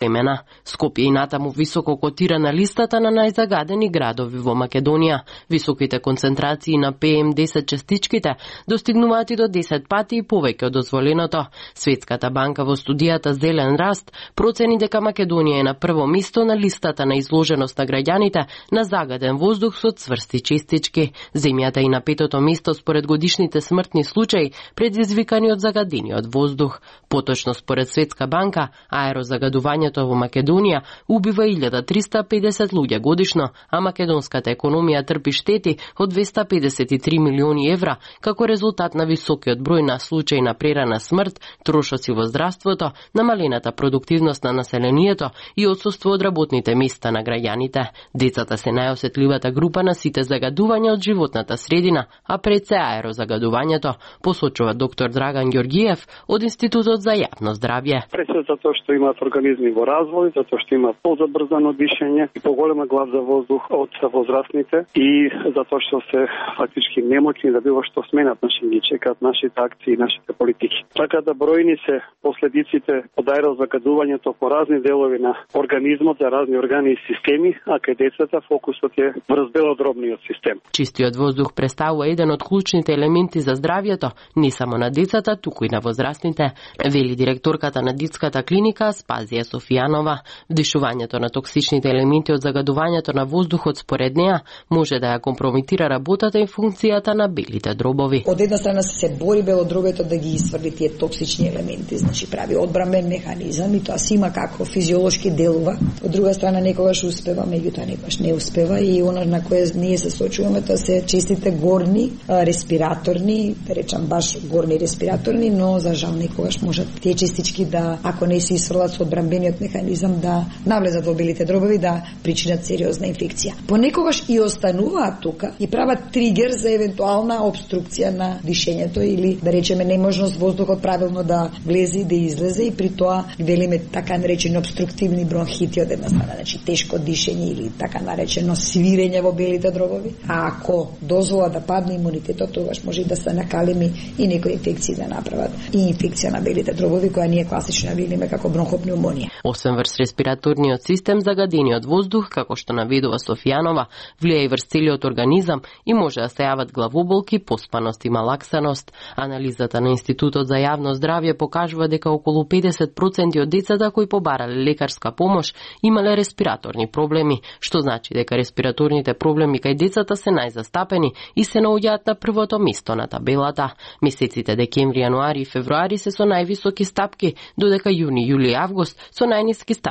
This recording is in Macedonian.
семена. Скопје и натаму високо котира на листата на најзагадени градови во Македонија. Високите концентрации на PM10 частичките достигнуваат и до 10 пати и повеќе од дозволеното. Светската банка во студијата Зелен раст процени дека Македонија е на прво место на листата на изложеност на граѓаните на загаден воздух со цврсти честички. Земјата и на петото место според годишните смртни случаи предизвикани од загадениот воздух. Поточно според Светска банка, аерозагадувањето во Македонија убива 1350 луѓе годишно, а македонската економија трпи штети од 253 милиони евра како резултат на високиот број на случаи на прерана смрт, трошоци во здравството, намалената продуктивност на населението и отсуство од работните места на граѓаните. Децата се најосетливата група на сите загадувања од животната средина, а пред се аерозагадувањето, посочува доктор Драган Ѓорѓиев од Институтот за јавно здравје. Пред се затоа што имаат организми во развој, затоа што има позабрзано дишење и поголема глад за воздух од возрастните и затоа што се фактички немоќни да било што сменат, ги чекаат нашите акции и нашите политики. Така да бројни се последиците од аерозагадувањето по разни делови на организмот за разни органи и системи, а кај децата фокусот е врз белодробниот систем. Чистиот воздух представува еден од клучните елементи за здравјето, не само на децата, туку и на возрастните, вели директорката на детската клиника Аспазија Софијанова. Вдишувањето на токсичните елементи од загадувањето на воздухот според неа може да ја компромитира работата и функцијата на белите дробови. Од една страна се бори белодробето да ги исфрли тие токсични елементи, значи прави одбранбен механизам и тоа си има како физиолошки делува. Од друга страна некогаш успева, меѓутоа некогаш не успева и она на кое ние се соочуваме тоа се честите горни респираторни, да речам баш горни респираторни, но за жал некогаш можат тие честички да, ако не се исфрлат со одбранбениот механизам, да навлезат во белите дробови, да причинат сериозна инфекција. Понекогаш и остануваат тука и прават тригер за евентуална обструкција на дишењето или да речеме неможност воздухот правилно да влезе и да излезе и при тоа велиме така наречени обструктивни бронхити од една страна, значи тешко дишење или така наречено свирење во белите дробови. А ако дозвола да падне имунитетот, тогаш може и да се накалеми и некои инфекции да направат и инфекција на белите дробови која ние класично велиме како бронхопнеумонија. Освен врз респираторниот систем, загадениот воздух, како што наведува Софијанова, влија и врз целиот организам и може да се јават главоболки, поспаност и малаксаност. Анализата на Институтот за јавно здравје покажува дека околу 50% од децата кои побарале лекарска помош имале респираторни проблеми, што значи дека респираторните проблеми кај децата се најзастапени и се наоѓаат на првото место на табелата. Месеците декември, јануари и февруари се со највисоки стапки, додека јуни, јули и август со најниски стапки